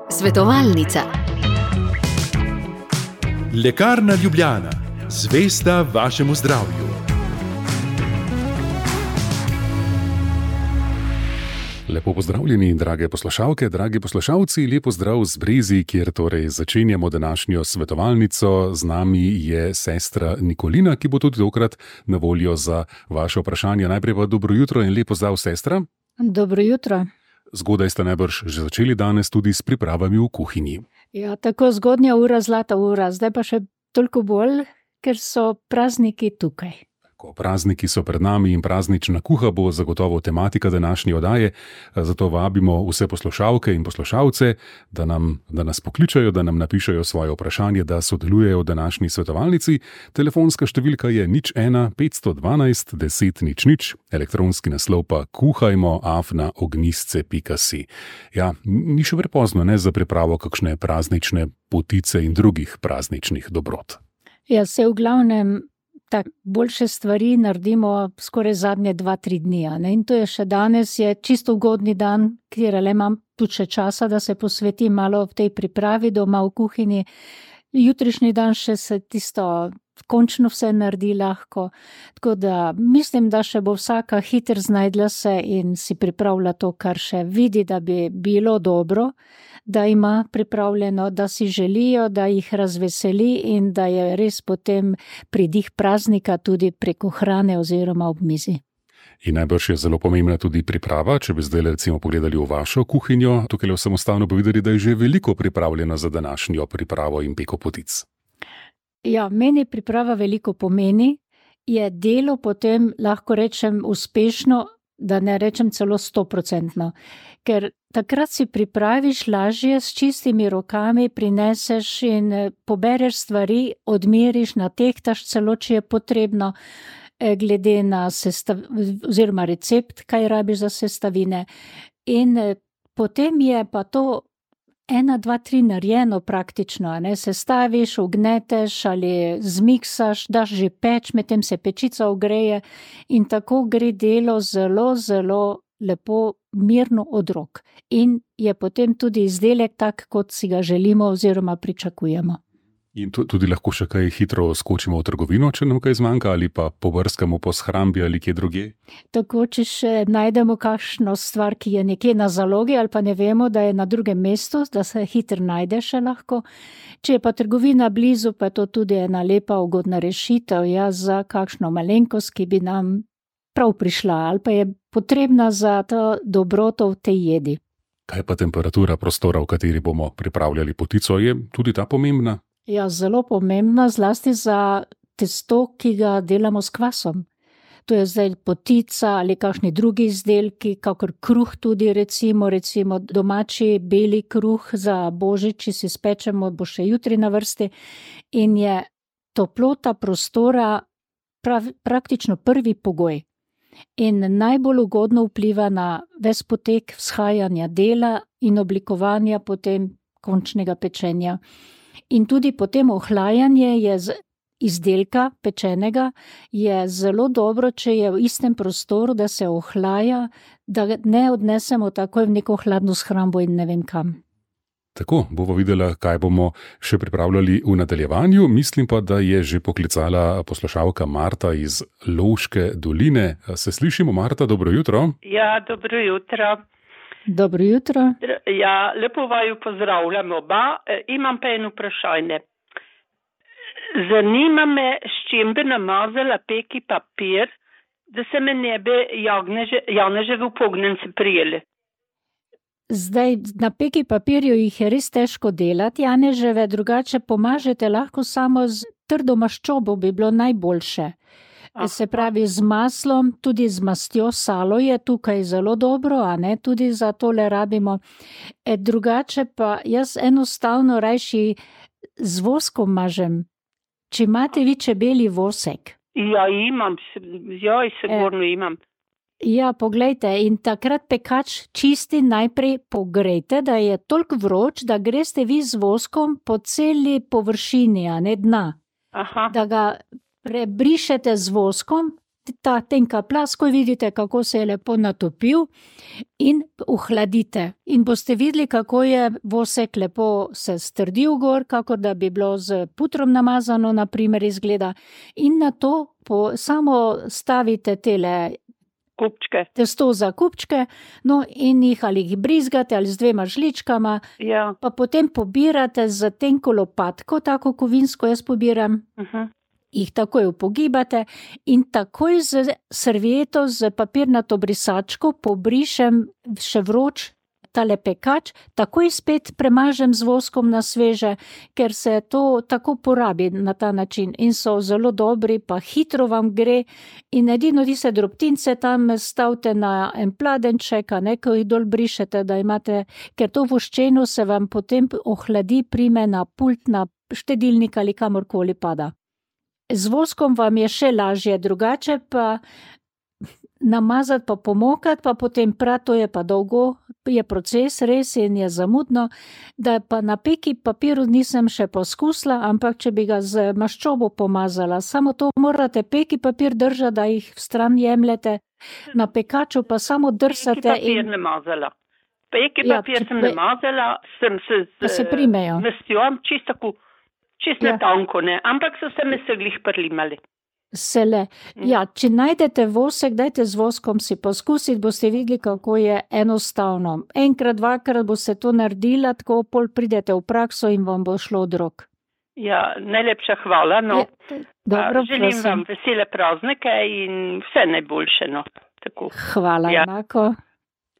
Svetovalnica. Lekarna Ljubljana, zvesta vašemu zdravju. Lepo pozdravljeni, drage poslušalke, dragi poslušalci, lepo zdrav z Brezi, kjer torej začenjamo današnjo svetovalnico. Z nami je sestra Nikolina, ki bo tudi tokrat na voljo za vaše vprašanje. Najprej pa dobro jutro in lepo zdrav, sestra. Dobro jutro. Zgodaj ste najbrž že začeli danes tudi s pripravami v kuhinji. Ja, tako zgodnja ura, zlata ura, zdaj pa še toliko bolj, ker so prazniki tukaj. Prazniki so pred nami in praznična kuha bo zagotovo tematika današnje oddaje, zato vabimo vse poslušalke in poslušalce, da nas pokličajo, da nam napišejo svoje vprašanje, da sodelujejo v današnji svetovalnici. Telefonska številka je 01 512 10 00, elektronski naslov pa kuhajmo@ognisce.si. Ja, ni še prepozno, ne, za pripravo kakšne praznične potice in drugih prazničnih dobrot. Ja, se v glavnem tak boljše stvari naredimo skoraj zadnje 2-3 dni. Ne? In to je še danes, je čisto ugodni dan, kjer le imam tudi še časa, da se posvetim malo v tej pripravi doma v kuhinji. Jutrišnji dan še se tisto končno vse naredi lahko. Tako da mislim, da še bo vsaka hitro znajdla se in si pripravlja to, kar še vidi, da bi bilo dobro, da ima pripravljeno, da si želijo, da jih razveseli in da je res potem pridih praznika tudi preko hrane oziroma ob mizi. In najbrž je zelo pomembna tudi priprava, če bi zdaj recimo pogledali v vašo kuhinjo, tukaj le samostalno bi videli, da je že veliko pripravljeno za današnjo pripravo in peko potic. Ja, meni priprava veliko pomeni, je delo potem, lahko rečem, uspešno, da ne rečem celo 100%, ker takrat si pripraviš lažje, s čistimi rokami prineseš in pobereš stvari, odmeriš, natehtaš celo, če je potrebno, glede na oziroma recept, kaj rabiš za sestavine. In potem je pa to 1, 2, 3 narejeno praktično, ne, sestaviš, ugneteš ali zmiksaš, daš že peč, medtem se pečica ogreje in tako gre delo zelo, zelo lepo, mirno od rok. In je potem tudi izdelek tak, kot si ga želimo oziroma pričakujemo. In tudi lahko še kaj hitro skočimo v trgovino, če nam kaj zmanjka, ali pa pobrskamo po shrambi ali kje drugje? Tako, če še najdemo kakšno stvar, ki je nekje na zalogi, ali pa ne vemo, da je na drugem mestu, da se hitro najde še lahko. Če je pa trgovina blizu, pa je to tudi ena lepa, ugodna rešitev, ja, za kakšno malenkost, ki bi nam prav prišla, ali pa je potrebna za to dobroto v tej jedi. Kaj pa temperatura prostora, v kateri bomo pripravljali potico, je tudi ta pomembna? Ja, zelo pomembna, zlasti za testo, ki ga delamo s kvasom. To je zdaj potica ali kakšni drugi izdelki, kakor kruh tudi recimo domači beli kruh za božič, če si spečemo, bo še jutri na vrsti. In je toplota prostora praktično prvi pogoj. In najbolj ugodno vpliva na ves potek vzhajanja dela in oblikovanja potem končnega pečenja. In tudi potem ohlajanje je izdelka pečenega je zelo dobro, če je v istem prostoru, da se ohlaja, da ne odnesemo takoj v neko hladno shrambo in ne vem kam. Tako, bomo videla, kaj bomo še pripravljali v nadaljevanju. Mislim pa, da je že poklicala poslušalka Marta iz Lovške doline. Se slišimo, Marta, dobro jutro. Ja, dobro jutro. Dobro jutro. Ja, lepo vaju pozdravljam oba. Imam pa eno vprašanje. Zanima me, s čim bi namazala peki papir, da se me ne bi janeževi upognjenci prijeli. Zdaj, na peki papirju jih je res težko delati, janeževe, drugače pomažete lahko samo z trdo maščobo, bi bilo najboljše. Se pravi z maslom, tudi z mastjo, salo je tukaj zelo dobro, a ne, tudi za tole rabimo. Drugače pa jaz enostavno rajši z voskom mažem. Če imate vi čebelji vosek? Ja, imam, sigurno imam. Ja, poglejte, in takrat pekač čisti najprej pogrejte, da je toliko vroč, da greste vi z voskom po celi površini, a ne dna. Aha. Da ga prebrišete z voskom, ta tenka plast, ko vidite, kako se je lepo natopil, in ohladite. in boste videli, kako je vosek lepo se strdil gor, kako da bi bilo z putrom namazano, na primer izgleda. In na to samo stavite tele Kupčke. testo za kupčke, no in ali jih brizgate ali z 2 žličkama, Ja. pa potem pobirate z tenko lopatko, tako kovinsko jaz pobiram, jih takoj upogibate in takoj z servieto, z papirnato brisačko pobrišem še vroč tale pekač, takoj spet premažem z voskom na sveže, ker se to tako porabi na ta način in so zelo dobri, pa hitro vam gre in edino tiste drobtince tam stavite na en pladenček, ko jih dol brišete, da imate, ker to voščeno se vam potem ohladi, prime na pult, na štedilnik ali kamorkoli pada. Z voskom vam je še lažje, drugače pa namazati pa pomokati, pa potem prati, to je pa dolgo, je proces res in je zamudno, da pa na peki papiru nisem še poskusila, ampak če bi ga z maščobo pomazala, samo to morate peki papir držati, da jih vstran jemljete, na pekaču pa samo drsate. Peki papir namazala. Peki papir sem namazala, sem se primejo. Vestjo, čisto tanko, ne, ampak so se me glih prlimali. Če najdete vosek, dajte z voskom si poskusiti, boste videli, kako je enostavno. Enkrat, dvakrat boste to naredila, tako pol pridete v prakso in vam bo šlo od rok. Ja, najlepša hvala, no. Dobro, želim vam vesele praznike in vse najboljše, no. Tako. Hvala, enako.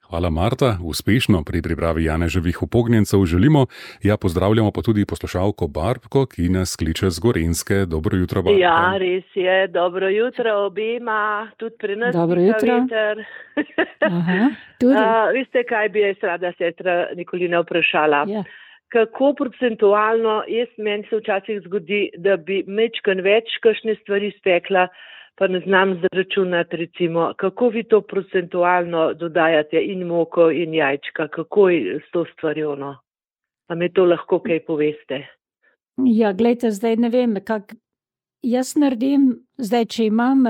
Hvala, Marta. Uspešno pri pripravi janeževih upognjencev želimo. Ja, pozdravljamo pa tudi poslušalko Barbko, ki nas kliče z Gorenjske. Dobro jutro, Barbka. Ja, res je. Dobro jutro obema. Tudi pri nas veter. Aha, tudi. Veste, kaj bi jaz rada sestra Nikolina vprašala? Ja. Kako procentualno, meni se včasih zgodi, da bi mečkan več kakšne stvari spekla, pa ne znam zaračunati, recimo, kako vi to procentualno dodajate in moko in jajčka, kako je s to stvarjo, no? A mi to lahko kaj poveste? Ja, glejte, zdaj ne vem, jaz naredim, zdaj, če imam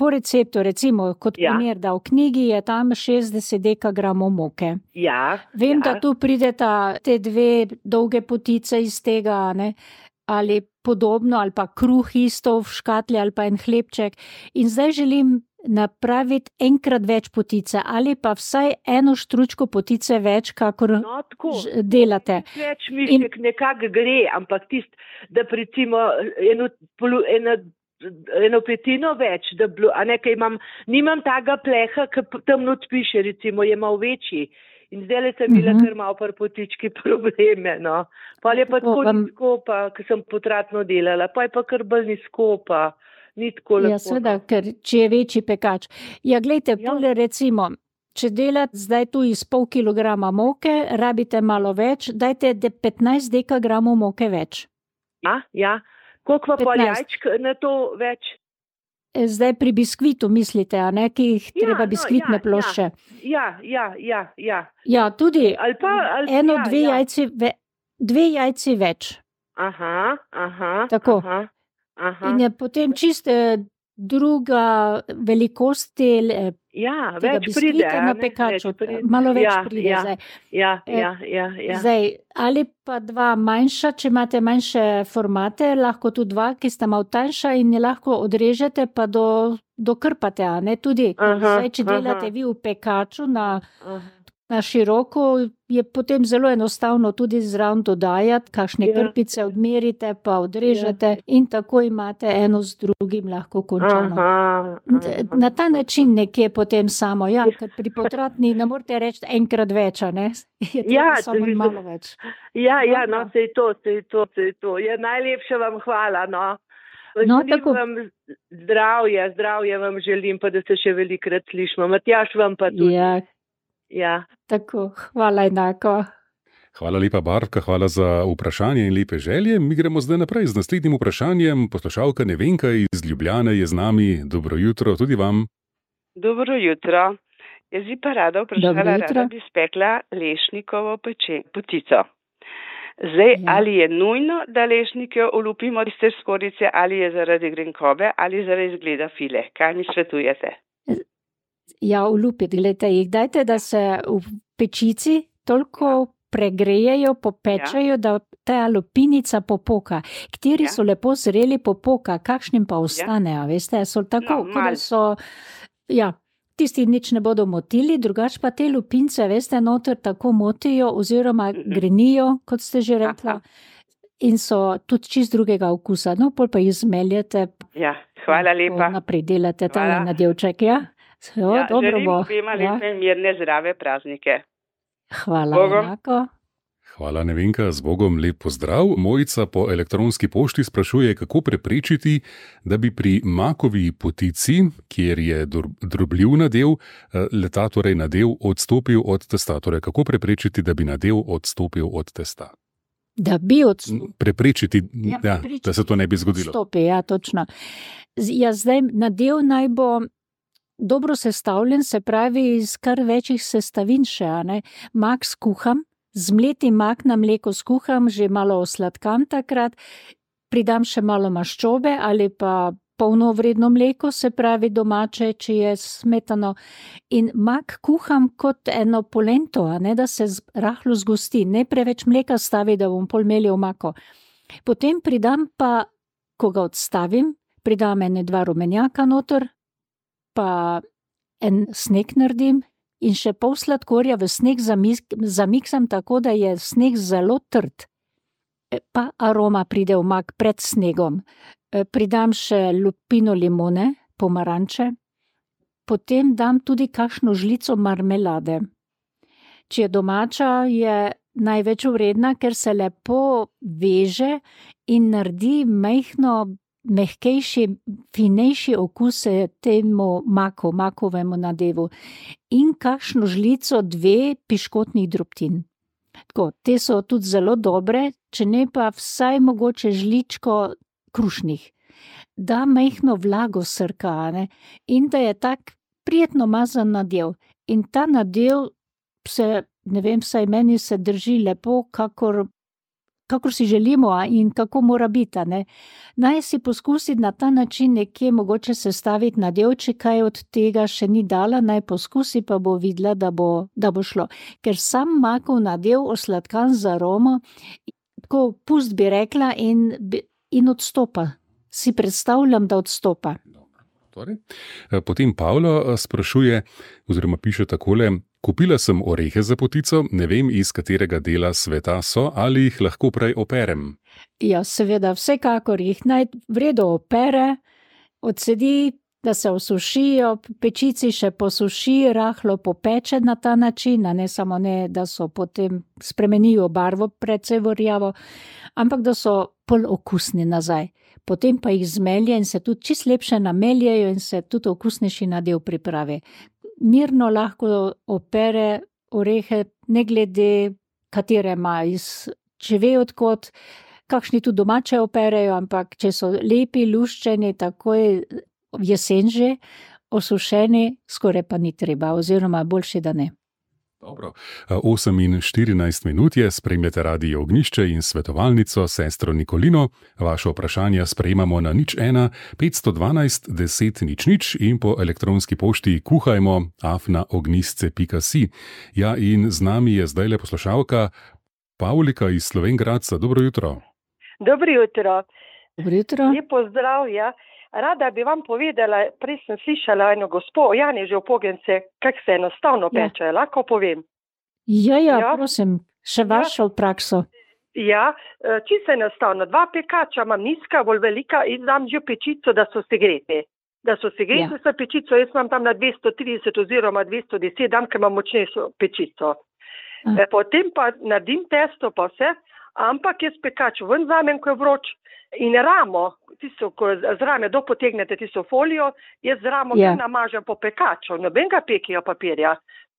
po receptu, recimo, kot primer, da v knjigi je tam 60 dekagramov moke. Ja. Vem, da tu prideta te 2 dolge potice iz tega, ne? Ali podobno, ali pa kruh isto v škatli, ali pa en hlebček. In zdaj želim napraviti enkrat več potice, ali pa vsaj 1 štručko potice več, kakor delate. Več mišek nekako gre, ampak da recimo eno petino več, da bilo, a nekaj nimam taga pleha, ki tam not piše, recimo, je malo večji. In zdaj sem bila kar malo par potički probleme, no. Pa je pa tako nizko, ki sem potratno delala, pa je pa kar bolj nizko, pa ni tako lepo. Ja, seveda, ker če je večji pekač. Ja, glejte, pole recimo, če delate zdaj tu iz pol kilograma moke, rabite malo več, dajte 15 dekagramov moke več. Ja. Koliko pa jajčk na to več? Zdaj pri biskvitu mislite, a ne, ki jih treba biskvitne plošče. Ja. Ja, tudi ali pa, 2 jajci več. Aha. Tako. In je potem čisto druga velikost več pride na pekaču, malo več pride zdaj. Ja. Zdaj, ali pa 2 manjša, če imate manjše formate, lahko tudi 2, ki sta malo tanjša in je lahko odrežete, pa dokrpate, a ne, tudi. Zdaj, če delate vi v pekaču na široko, je potem zelo enostavno tudi zraven dodajati, kakšne krpice odmerite, pa odrežete in tako imate eno z drugim lahko končano. Na ta način nekje potem samo, ker pri potratni ne morete reči enkrat več, a ne? Je treba samo malo več. No, sej to. Ja, najlepša vam hvala, no. Tako. Vam zdravje vam želim, pa da se še velikrat slišimo. Matjaž vam pa tudi. Ja. Tako, hvala enako. Hvala lepa, Barbka, hvala za vprašanje in lepe želje. Mi gremo zdaj naprej z naslednjim vprašanjem. Poslušalka Nevenka iz Ljubljane je z nami. Dobro jutro tudi vam. Dobro jutro. Jaz bi pa rada vprašala, rada bi spekla lešnikovo potico. Zdaj, ali je nujno, da lešnike olupimo iz te skorjice, ali je zaradi grenkobe, ali zaradi izgleda file? Kaj mi svetujete? Ja, olupiti, gledajte, jih dajte, da se v pečici toliko pregrejejo, popečajo, da ta lupinica popoka. Kateri so lepo zreli popoka, kakšnim pa ostanejo, veste, so tako, kot so, tisti nič ne bodo motili, drugače pa te lupince, veste, noter tako motijo oziroma grenijo, kot ste že rekla, in so tudi čist drugega okusa. No, pol pa jih zmeljete. Ja, hvala lepa. Naprej delate tale nadelček, dobro bo. Želim obema lepe, mirne, zdrave praznike. Hvala, enako. Hvala, Nevenka, z Bogom lep pozdrav. Mojica po elektronski pošti sprašuje, kako preprečiti, da bi pri makovi potici, kjer je drobljiv nadev, leta torej nadev odstopil od testa. Torej, kako preprečiti, da bi nadev odstopil od testa? Da bi preprečiti, da se to ne bi zgodilo. Odstopi, točno. Zdaj nadev naj bo dobro sestavljen, se pravi iz kar večjih sestavin še, mak skuham, zmleti mak na mleko skuham, že malo osladkam takrat, pridam še malo maščobe ali pa polnovredno mleko, se pravi domače, če je smetano, in mak kuham kot eno polento, da se rahlo zgosti, ne preveč mleka stavi, da bom pol melil mako. Potem pridam pa, ko ga odstavim, pridam 2 rumenjaka noter, pa en sneg naredim in še pol sladkorja v sneg zamiksam tako, da je sneg zelo trd. Pa aroma pride v mak pred snegom. Pridam še lupino limone, pomaranče, potem dam tudi kakšno žlico marmelade. Če je domača, je največ vredna, ker se lepo veže in naredi mehkejši, finejši okus temu makovemu nadevu. In kakšno žlico 2 piškotnih drobtin. Tako, te so tudi zelo dobre, če ne pa vsaj mogoče žličko krušnih. Da mehno vlago srka, in da je tak prijetno mazan nadev. In ta nadev se, ne vem, vsaj meni se drži lepo, kakor si želimo in kako mora biti. Naj si poskusiti na ta način nekje mogoče sestaviti nadev, če kaj od tega še ni dala, naj poskusi, pa bo videla, da bo šlo. Ker sam makov nadev osladkan z aromo, tako pust bi rekla in odstopa. Si predstavljam, da odstopa. Torej, potem Pavlo sprašuje, oziroma piše takole: kupila sem orehe za potico, ne vem, iz katerega dela sveta so, ali jih lahko prej operem. Ja, seveda, vsekakor jih naj vredo opere, odsedi, da se osušijo, pečici še posuši, rahlo popeče na ta način, ne samo da so potem spremenijo barvo precej rjavo, ampak da so pol okusni nazaj. Potem pa jih zmelje in se tudi čist lepše nameljejo in se tudi okusnejši nadev pripravi. Mirno lahko opere orehe, ne glede katere ima, če ve odkot, kakšni tudi domače operejo, ampak če so lepi, luščeni, takoj v jesen že, osušeni, skoraj pa ni treba, oziroma boljše, da ne. Dobro. 8:14 je, spremljate Radio Ognjišče in svetovalnico sestro Nikolino. Vaše vprašanja sprejemamo na 01 512 10 00 in po elektronski pošti kuhajmo@ognjisce.si. Ja, in z nami je zdajle poslušalka Pavlika iz Slovenj Gradca. Dobro jutro. Dobro jutro. Dobro jutro. Lep pozdrav, Rada bi vam povedala, prej sem slišala eno gospo, Janeže v Pogence, kako se enostavno peče, lahko povem. Ja, prosim, še vašo prakso. Ja, čisto enostavno. 2 pekača imam nizka, bolj velika in dam že pečico, da so segrete. Da so segrete s pečico, jaz imam tam na 230 oziroma 210, dam, ker imam močnejšo pečico. Potem pa naredim testo pa vse, ampak jaz pekač ven vzamem, ko je vroč, in ramo, tisto, ko z rame dopotegnete tisto folijo, jaz z ramo namažem po pekaču, nobenega pekija papirja.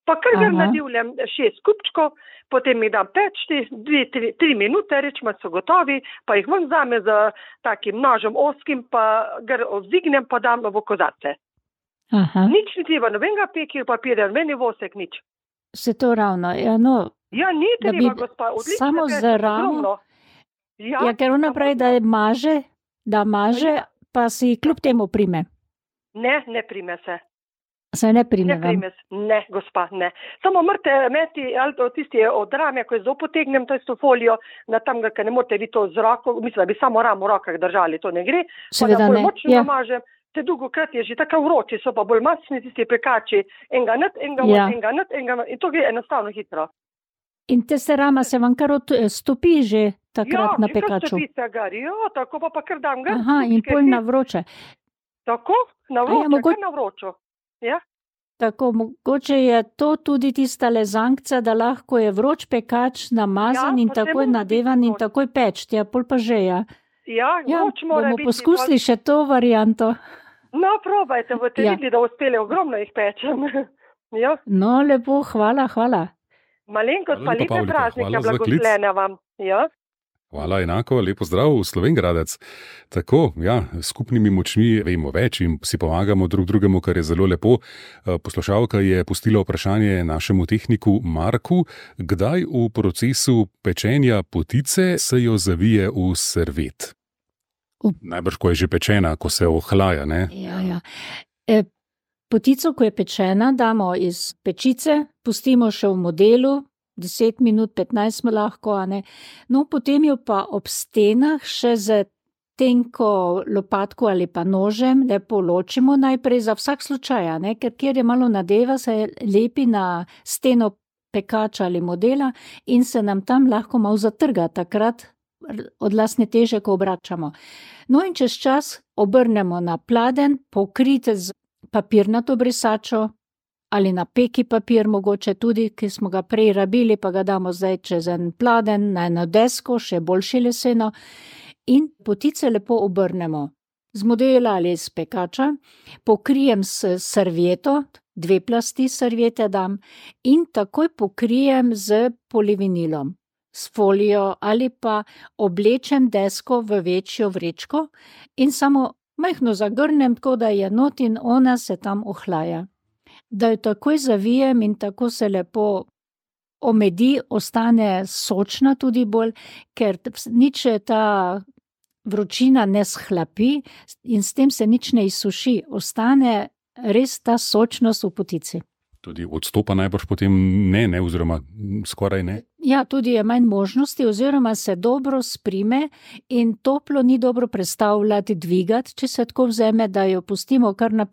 Pa kar ga nadivljam 6 kupčkov, potem mi dam peči 2-3 minute, rečemo so gotovi, pa jih ven vzame z takim nožem oskim, pa ga vzdignem, pa dam v kozarce. Nič ni treba, nobenega pekija papirja, meni vosek nič. Se to ravno, Ja, ni treba, gospa, odlično. Samo z ramo. Ker ona pravi, da maže, pa si kljub temu prime. Ne prime se. Se ne prime vam? Ne, gospa, ne. Samo morate imeti, ali to tisti od rame, ko je zelo potegnem to folijo, na tam, ker ne morate vi to z roko, mislim, da bi samo ramo v rokah držali, to ne gre. Seveda ne. Močno namažem, te dolgokrat je že tako vroči, so pa bolj masni tisti pekači, enga not, in to gre enostavno hitro. In te se rama se vam kar stopi že takrat na pekaču? Ja, stopi se gar, tako pa kar dam gar. Aha, in pol na vroče. Tako, na vroče, kar na vročo. Ja. Tako, mogoče je to tudi tista lezankca, da lahko je vroč pekač namazan in takoj nadevan in takoj peč, tja pol pa že, ja. Ja, vroč mora biti. Bomo poskusili še to varianto. No, probajte, boste videli, da uspeli, ogromno jih pečem. Ja. No, lepo, hvala. Malenkost pa lepe praznike, blagoslovljene vam. Ja. Hvala, enako, lepo zdrav v Slovenj Gradec. Tako, ja, skupnimi močmi vemo več in si pomagamo drug drugemu, kar je zelo lepo. Poslušalka je pustila vprašanje našemu tehniku Marku, kdaj v procesu pečenja potice se jo zavije v servet. Najbrž, ko je že pečena, ko se ohlaja, ne? Ja. Potico, ko je pečena, damo iz pečice, pustimo še v modelu, 10 minut, 15 lahko, a ne. No, potem jo pa ob stenah še z tenko lopatko ali pa nožem lepo ločimo najprej za vsak slučaj, a ne, ker kjer je malo nadeva, se lepi na steno pekača ali modela in se nam tam lahko malo zatrga, takrat odlasne teže, ko obračamo. No in čez čas obrnemo na pladenj, pokrite z papirnato brisačo, ali na peki papir mogoče tudi, ki smo ga prej rabili, pa ga damo zdaj čez en pladenj, na eno desko, še boljše leseno, in potice lepo obrnemo. Z modela ali iz pekača, pokrijem s servieto, 2 plasti serviete dam, in takoj pokrijem z polivinilom, s folijo ali pa oblečem desko v večjo vrečko in samo majhno zagrnem, tako da je not in ona se tam ohlaja. Da jo takoj zavijem in tako se lepo omedi, ostane sočna tudi bolj, ker nič ta vročina ne shlapi in s tem se nič ne izsuši, ostane res ta sočnost v potici. Tudi odstopa najbrž potem ne, oziroma skoraj ne? Ja, tudi je manj možnosti, oziroma se dobro sprime in toplo ni dobro predstavljati, dvigati, če se tako vzeme, da jo pustimo kar na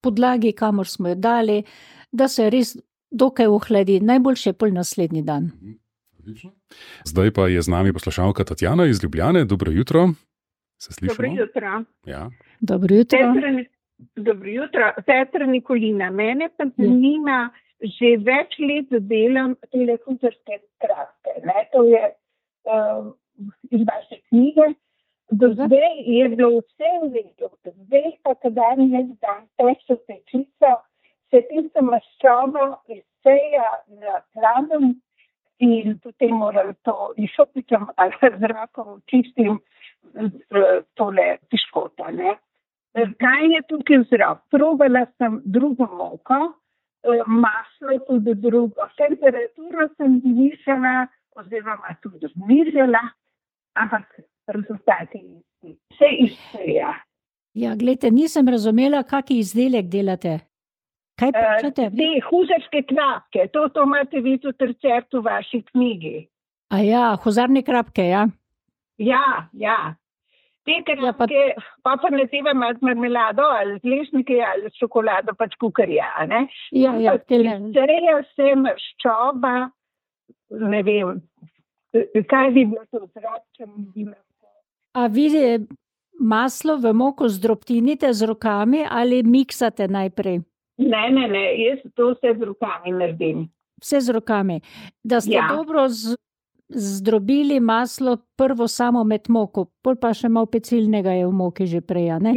podlagi, kamor smo jo dali, da se res dokaj ohladi, najboljše pol naslednji dan. Zdaj pa je z nami poslušalka Tatjana iz Ljubljane. Dobro jutro. Se slišimo? Dobro jutro. Ja. Dobro jutro. Dobro jutro. Sestra Nikolina, mene pa zanima, že več let delam telefuzerske kratke. To je iz vaše knjige. Do zdaj je bilo vse v redu, zdaj pa kadar ne zdam težko pečico, se tista maščoba izseja na hladem in potem moram to išopičem ali zrakom čistim tole piškota, ne. Kaj je tukaj vzrok? Probala sem drugo moko, maslo tudi drugo, temperaturo sem zvišala oziroma tudi znižala, ampak rezultati se izseja. Ja, glejte, nisem razumela, kaki izdelek delate. Kaj počete? Te huzarske krapke, to imate vi tudi recept v vaši knjigi. A ja, huzarne krapke, ja? Ja. Te krapke, pa naleteva malo marmelado, ali z lešnike, ali s čokolado, pač kukarja, ne? Ja. Izseja se maščoba, ne vem, kaj bi bilo to vzrok, če mi bi lahko. A vi maslo v moko zdrobtinite z rokami ali miksate najprej? Ne, jaz to vse z rokami naredim. Vse z rokami. Da ste dobro zdrobili maslo prvo samo med moko, pol pa še malo pecilnega je v moki že prej, ne?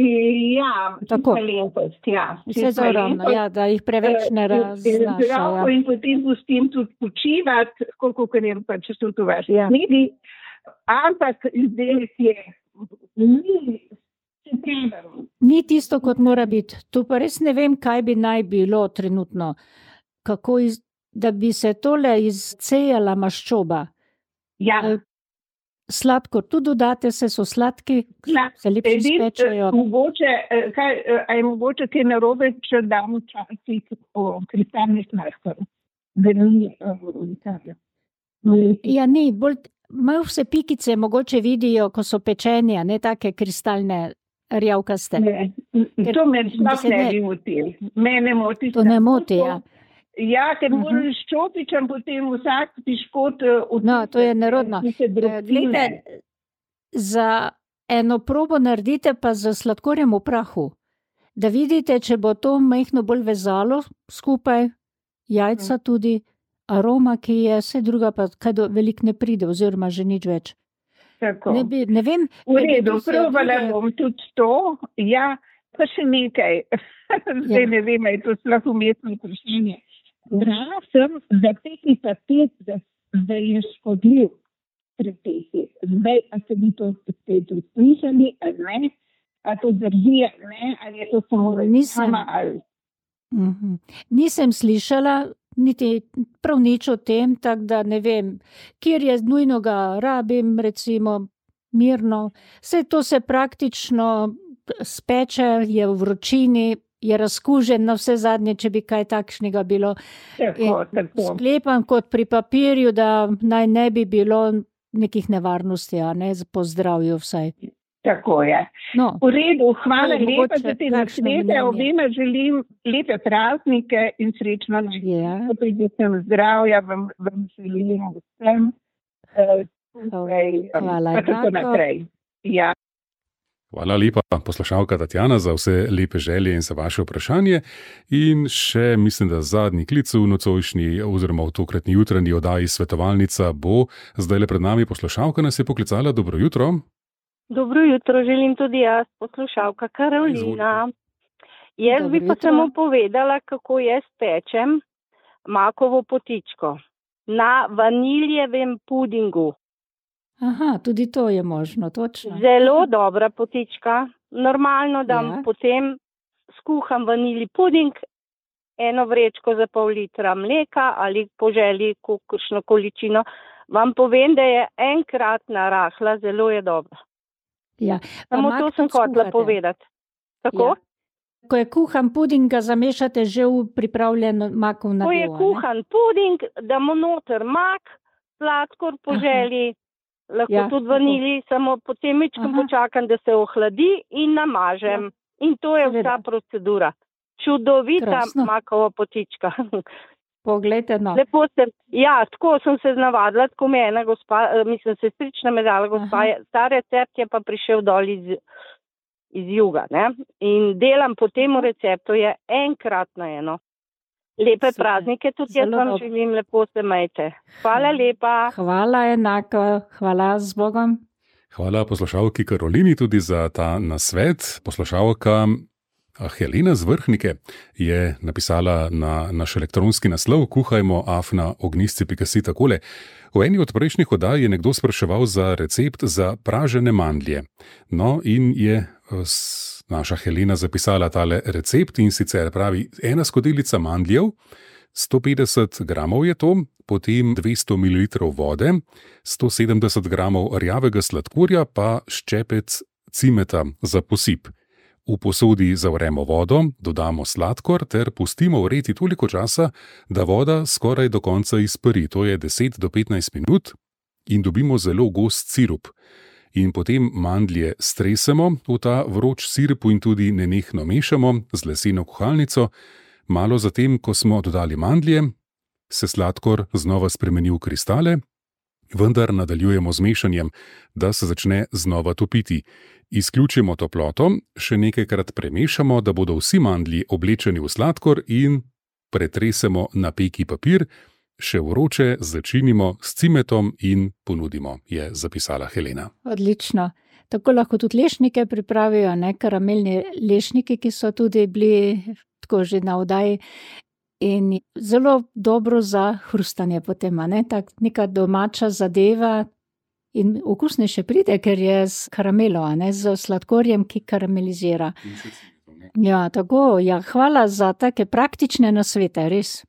Ja, tako. Malenkost, ja. Vse zaravno, ja, da jih preveč ne raznaša. Ja. In potem pustim tudi počivati, koliko je pač tudi v vaši knjigi. Ampak izdelek je ni tisto, kot mora biti. Tu pa res ne vem, kaj bi naj bilo trenutno. Kako da bi se tole izcejala maščoba. Ja. sladkor tudi dodate, so sladki, se lepše spečejo. Je mogoče kaj narobe, če damo včasih kristalni sladkor? Ja, ni, malo vse pikice mogoče vidijo, ko so pečeni, a ne take kristalne rjavkaste. To me sploh ne bi motil. Mene moti. To ne moti, ja. Ja, ker moraš čopičem potem vsak piškot No, to je nerodno. Glede, za eno probo naredite pa z sladkorjem v prahu, da vidite, če bo to majhno bolj vezalo skupaj, jajca tudi, aroma, ki je, vse druga pa kaj veliko ne pride, oziroma že nič več. Tako. Ne vem. V redu, probala bom tudi to, ja, pa še nekaj. Zdaj ne vem, je to sploh umestno vprašanje. Brala sem, da peki papir, da je škodljiv pri peki. Zdaj, a se bi to spet uslišali, ali ne? A to drži, ali ne? Ali je to samo reklama, ali... Nisem slišala niti prav nič o tem, tako da ne vem, kjer je nujno ga rabim, recimo, mirno. Vse to se praktično speče, je v vročini, je razkužen na vse zadnje, če bi kaj takšnega bilo. Tako. Sklepam kot pri papirju, da naj ne bi bilo nekih nevarnosti, a ne po zdravju vsaj. Tako je. No, v redu, hvala lepa za te nasvete. Obema želim lepe praznike in srečno noč. Predvsem zdravja vam želim vsem. Hvala. Tako naprej. Ja. Hvala lepa, poslušalka Tatjana, za vse lepe želje in za vaše vprašanje. In še, mislim, da zadnji klic v nocojšnji oziroma v tokratni jutranji oddaji Svetovalnica bo. Zdajle pred nami poslušalka nas je poklicala. Dobro jutro. Dobro jutro, želim tudi jaz, poslušalka Karolina. Jaz bi pa samo povedala, kako jaz pečem makovo potičko na vaniljevem pudingu. Aha, tudi to je možno, točno. Zelo dobra potička. Normalno dam potem skuham vanilji puding, eno vrečko za pol litra mleka ali po želji kakšno količino. Vam povem, da je enkratna rahla, zelo je dobra. Ja. Samo to sem hotela povedati. Tako? Ja. Ko je kuhan puding, ga zamešate že v pripravljen makov nadev. Ko je kuhan puding, damo noter mak, sladkor po želji, lahko tudi vanilji, samo potem mičkam počakam, da se ohladi in namažem. In to je vsa procedura. Čudovita makova potička. Poglejte, no. Lepo sem, tako sem se navadila, tako me ena gospa, sestrična me dala gospa, ta recept je pa prišel dol iz juga, ne? In delam po tem receptu, je enkratno eno. Lepe praznike, tudi jaz vam želim, lepo se majte. Hvala lepa. Hvala enako, hvala z Bogom. Hvala poslušalki Karolini tudi za ta nasvet. Poslušalka Helena z Vrhnike je napisala na naš elektronski naslov kuhajmo@ognisci.si takole. V eni od prejšnjih oddaj je nekdo spraševal za recept za pražene mandlje. No, in je naša Helena zapisala tale recept, in sicer pravi 1 skodelica mandljev, 150 gramov je to, potem 200 ml vode, 170 gramov rjavega sladkorja pa ščepec cimeta za posip. V posodi zavremo vodo, dodamo sladkor ter pustimo vreti toliko časa, da voda skoraj do konca izpari, to je 10 do 15 minut, in dobimo zelo gost sirup. In potem mandlje stresemo v ta vroč sirup in tudi nenehno mešamo z leseno kuhalnico. Malo zatem, ko smo dodali mandlje, se sladkor znova spremeni v kristale, vendar nadaljujemo z mešanjem, da se začne znova topiti. Izključimo toploto, še nekajkrat premešamo, da bodo vsi mandlji oblečeni v sladkor, in pretresemo na peki papir, še vroče začinimo s cimetom in ponudimo, je zapisala Helena. Odlično. Tako lahko tudi lešnike pripravijo, ne? Karamelni lešniki, ki so tudi bili tako že na oddaji, in zelo dobro za hrustanje potem, ne? Tak neka domača zadeva. In okusnejše pride, ker je z karamelo, ne, z sladkorjem, ki karamelizira. Ja, tako, hvala za take praktične nasvete, res.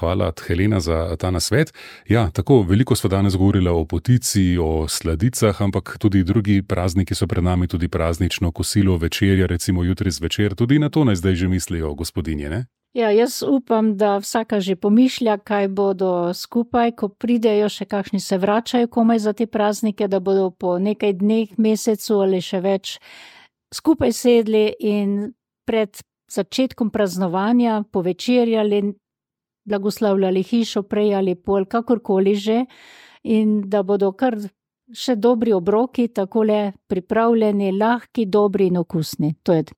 Hvala, Helena, za ta nasvet. Ja, tako, veliko smo danes govorili o potici, o sladicah, ampak tudi drugi prazniki so pred nami, tudi praznično kosilo, večerja, recimo jutri zvečer, tudi na to naj zdaj že mislijo gospodinje, ne? Ja, jaz upam, da vsaka že pomišlja, kaj bodo skupaj, ko pridejo, še kakšni se vračajo komaj za te praznike, da bodo po nekaj dneh, mesecu ali še več skupaj sedli in pred začetkom praznovanja povečerjali, blagoslavljali hišo prej ali pol, kakorkoli že, in da bodo kar še dobri obroki, takole pripravljeni, lahki, dobri in okusni. To je to.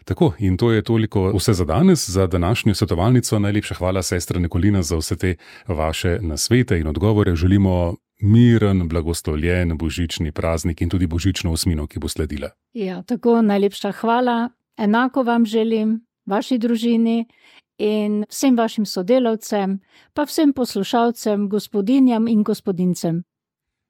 Tako, in to je toliko vse za danes, za današnjo svetovalnico. Najlepša hvala, sestra Nikolina, za vse te vaše nasvete in odgovore. Želimo miren, blagoslovljen božični praznik in tudi božično osmino, ki bo sledila. Ja, tako, najlepša hvala. Enako vam želim, vaši družini in vsem vašim sodelavcem, pa vsem poslušalcem, gospodinjam in gospodincem.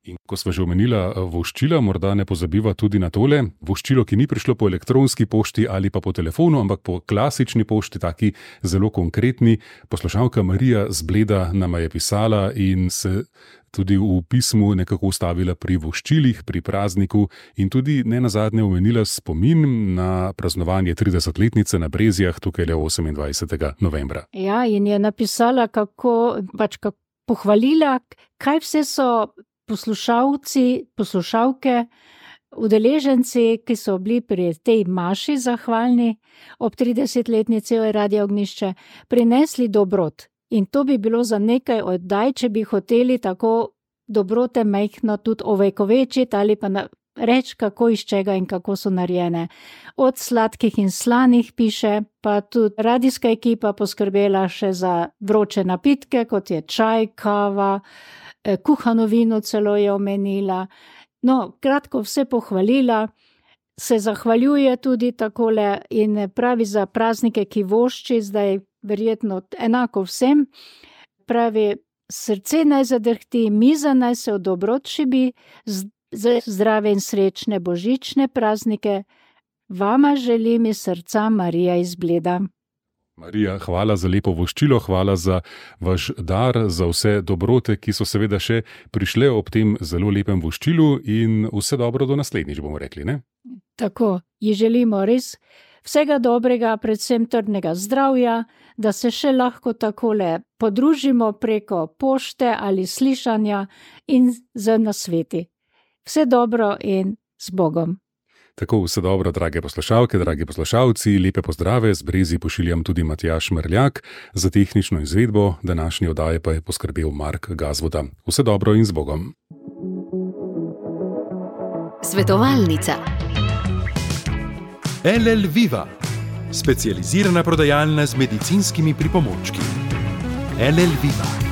In ko sva že omenila voščila, morda ne pozabiva tudi na tole. Voščilo, ki ni prišlo po elektronski pošti ali pa po telefonu, ampak po klasični pošti, taki zelo konkretni. Poslušalka Marija z Bleda nama je pisala in se tudi v pismu nekako ustavila pri voščilih, pri prazniku in tudi nenazadnje omenila spomin na praznovanje 30-letnice na Brezjah, tukaj le 28. novembra. Ja, in je napisala, kako pohvalila, kaj vse so poslušalci, poslušalke, udeleženci, ki so bili pri tej maši zahvalni ob 30-letnici Radia Ognjišče, prinesli dobrot. In to bi bilo za nekaj oddaj, če bi hoteli tako dobrote majhno tudi ovekovečiti ali pa reči, kako iz čega in kako so narejene. Od sladkih in slanih piše, pa tudi radijska ekipa poskrbela še za vroče napitke, kot je čaj, kava, kuhano vino celo je omenila. No, kratko vse pohvalila, se zahvaljuje tudi takole in pravi za praznike, ki vošči, zdaj verjetno enako vsem, pravi, srce naj zadrhti, miza naj se v dobrot šibi, zdrave in srečne božične praznike, vama želim iz srca Marija iz Bleda. Marija, hvala za lepo voščilo, hvala za vaš dar, za vse dobrote, ki so seveda še prišle ob tem zelo lepem voščilu in vse dobro do naslednjič, bomo rekli, ne? Tako, ji želimo res vsega dobrega, predvsem trdnega zdravja, da se še lahko takole podružimo preko pošte ali slišanja in z nasveti. Vse dobro in z Bogom. Tako, vse dobro, drage poslušalke, dragi poslušalci, lepe pozdrave, z Brezij pošiljam tudi Matjaž Mrljak, za tehnično izvedbo današnje oddaje pa je poskrbel Mark Gazvoda. Vse dobro in z Bogom. Svetovalnica. LL Viva, specializirana prodajalna z medicinskimi pripomočki. LL Viva.